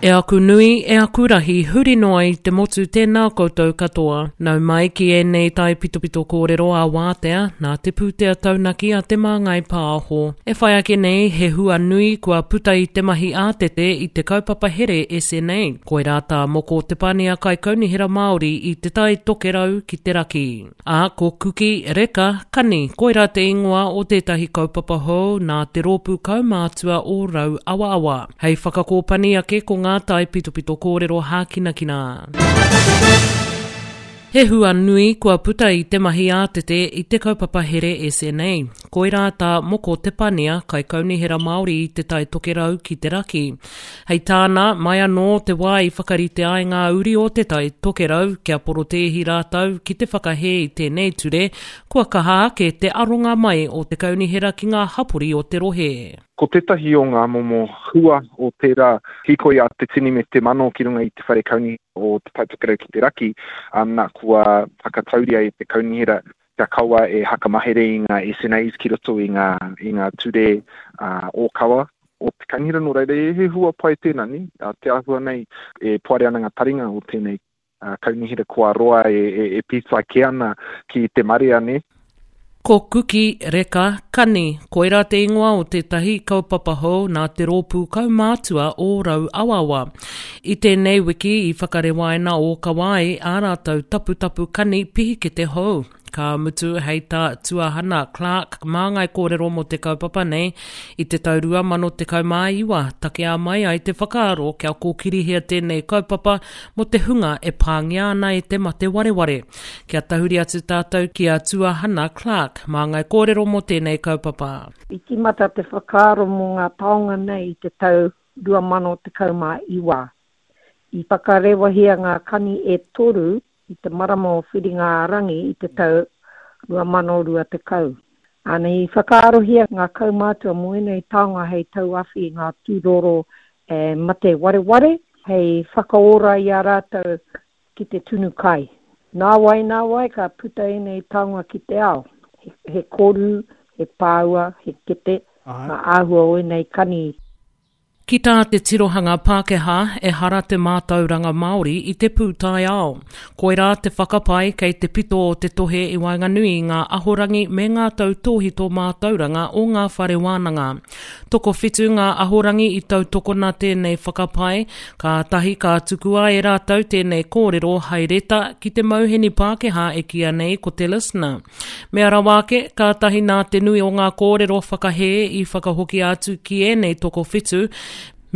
E aku nui, e aku rahi, huri noa i te motu tēnā koutou katoa. Nau mai ki ēnei taipitopito kōrero ā wātea, nā te pūtea taunaki a Te Māngai Pāho. E whai ake nei he hua nui kua puta i te mahi ātete i te kaupapa here SNA. Koirā tā Moko Te Pania Kaikaunihera Māori i Te Tai Tokerau ki te raki. Ā, ko Kuki, Reka, Kani, koirā te ingoa o tētahi kaupapa hou nā te rōpū kaumātua o Rauawaawa. Hei whakakōpani ake ko ngā taipitopito kōrero hākinakina. He hua nui kua puta i te mahi ātete i te kaupapa here SNA. Koirā tā Moko Te Pania, Kaikaunihera Māori i Te Tai Tokerau ki te Raki. Hei tāna, mai anō te wā i whakarite ai ngā uri o Te Tai Tokerau kia porotēhi rātou ki te whakahē i tēnei ture, kua kaha ake te aronga mai o te kaunihera ki ngā hapori o te rohe. Ko tētahi o ngā momo hua o tērā hīkoi a te tini me te mano ki runga i te whare kaunihera o Te Tai Tokerau ki te Raki, ana kua whakatauria e te kaunihera kia kaua e hakamahere i ngā SNAs ki roto i ngā, i ngā ture ōkawa o te kaunihera. Nō reira, he hua pai tēnā, nē? Te āhua nei e poari ana ngā taringa o tēnei kaunihera kua roa e pītai kē ana ki te marea, nē? Ko Kuki, Reka, Kani, koirā te ingoa o tētahi kaupapa hou nā te rōpū kaumātua o Rauawaawa. I tēnei wiki i whakarewaina ōkawa ai ā rātou taputapu kani pihikete hou. Ka mutu hei tā Tuahana Clarke māngai kōrero mō te kaupapa nei, i te tau 2019 takea mai ai te whakaaro kia kōkirihia tēnei kaupapa mō te hunga e pāngia ana e te mate wareware. Kia tahuri atu tātou ki a Tuahana Clarke, māngai kōrero mō tēnei kaupapa. I tīmata te whakaaro mō ngā taonga nei i te tau 2019. I whakarewahia ngā kani e toru i te marama o Whiringa-ā-rangi i te tau 2020. Ana, i whakaarohia ngā kaumātua mō ēnei taonga hei tauawhi i ngā tūroro e mate wareware, hei whakaora i a rātou ki te tunu kai. Nāwai, nāwai ka puta ēnei taonga ki te ao. He koru, he pāua, he kete, ngā āhua o ēnei kani. Ki tā te tirohanga Pākehā, ehara te mātauranga Māori i te pūtaiao. Koirā te whakapae kei te pito o te tohe i waenganui i ngā ahorangi me ngā tautōhito mātauranga o ngā whare wānanga. Tokowhitu ngā ahorangi i tautokona tēnei whakapae, kātahi ka tukua e rātou tēnei kōrero hai reta ki te mauheni Pākehā e kīia nei ko te Listener. Mea rawa ake, kātahi nā te nui o ngā kōrero whakahē i whakahokia atu ki ēnei tokowhitu,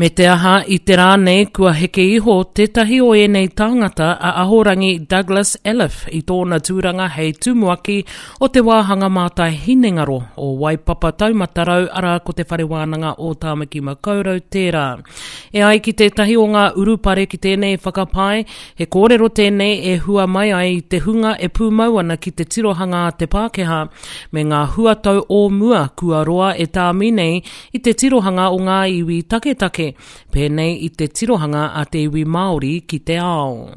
me te aha i te rā nei kua heke iho tētahi o ēnei tāngata a Ahorangi Douglas Elliffe i tōna tūranga hei tumuaki o te wāhanga mātai hinengaro o Waipapa Taumata Rau arā ko Te Whare Wānanga o Tāmaki Makaurau tērā. E ai ki tētahi o ngā urupare ki tēnei whakapae, He kōrero tēnei e hua mai ai i te hunga e pūmau ana ki te tirohanga a te Pākehā, me ngā huatau o mua kua roa e tāmi nei i te tirohanga o ngā iwi taketake, pēnei i te tirohanga a te iwi Māori ki te ao.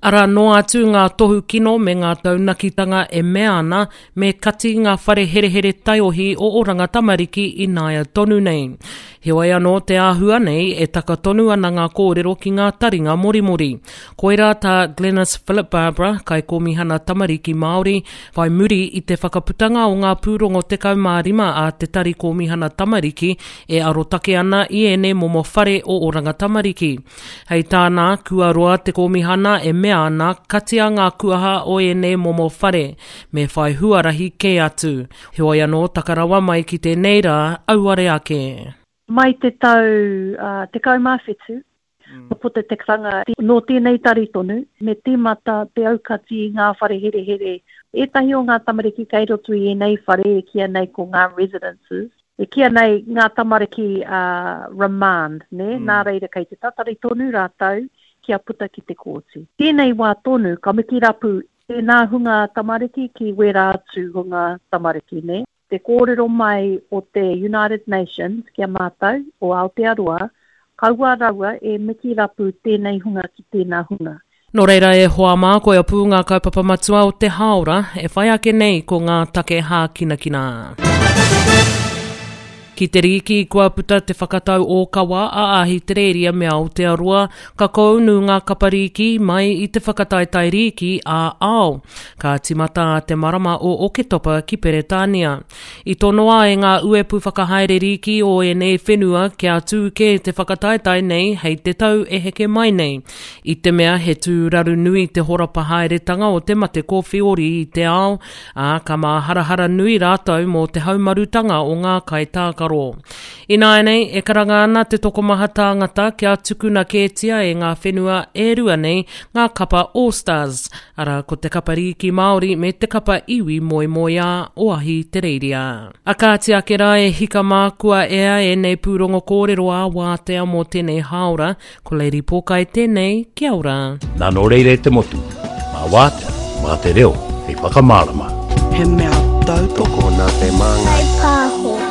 Arā noa atu ngā tohu kino me ngā taunakitanga e mea ana me kati ngā whare herehere taiohi o Oranga Tamariki ināia tonu nei. Heoi anō te āhua nei e taka tonu ana ngā kōrero ki ngā taringa morimori. Koirā tā Glenis Philip Barbara, Kaikōmihana Tamariki Māori, whai muri i te whakaputanga o ngā pūrongo 15 a Te Tari Kōmihana Tamariki e arotake ana i ēnei momo whare o Oranga Tamariki. Hei tāna, kua roa te kōmihana e mea ana katia ngā kuaha o ēnei momo whare, me whai huarahi kē atu. Heoi anō, taka rawa mai ki tēnei rā, auare ake. Mai te tau 17, kua puta te karanga nō tēnei tari tonu, me tīmata te aukati i ngā whare herehere. Ētahi o ngā tamariki kei roto i ēnei whare e kīia nei ko ngā residences, e kīia nei ngā tamariki remand, nē, nā reira kei te tatari tonu rātou kia puta ki te kōti. Tēnei wā tonu ka mikirapu Tēnā hunga tamariki ki wērā atu hunga tamariki, nē? Te kōrero mai o te United Nations ki a mātou, o Aotearoa, kaua rawa e mikirapu tēnei hunga ki tēnā hunga. Nō reira e hoa mā, koia pū ngā kaupapa matua o te hāora e whai ake nei ko ngā take hākinakina. Ki te rīki, kua puta te whakatau ōkawa a Ahitereiria me Aotearoa, ka kounu ngā kapa rīki mai i te whakataetae rīki ā-ao. Ka tīmata te marama o Oketopa ki Peretānia. I tonoa e ngā uepu whakahaere rīki o ēnei whenua kia tū kē te whakataetae nei hei te tau e heke mai nei. I te mea he tūraru nui te horapa haeretanga o te mate kōwhiori i te ao, ā, ka māharahara nui rātou mō te haumarutanga o ngā kaitākaro. Ināianei, e karanga ana te tokomaha tāngata kia tukuna kētia e ngā whenua e rua nei ngā kapa All Stars, arā, ko te kapa rīki Māori me te kapa iwi moemoeā o Ahitereiria. A kāti ake rā e hika mā kua ea ēnei pūrongo kōrero ā-wātea mō tēnei hāora, Ko Lady Pōkai tēnei, kia ora. Nā nō reira e te motu, mā wātea, mā te reo hei whakamārama. He mea tautoko nā te Māngai. Pāho.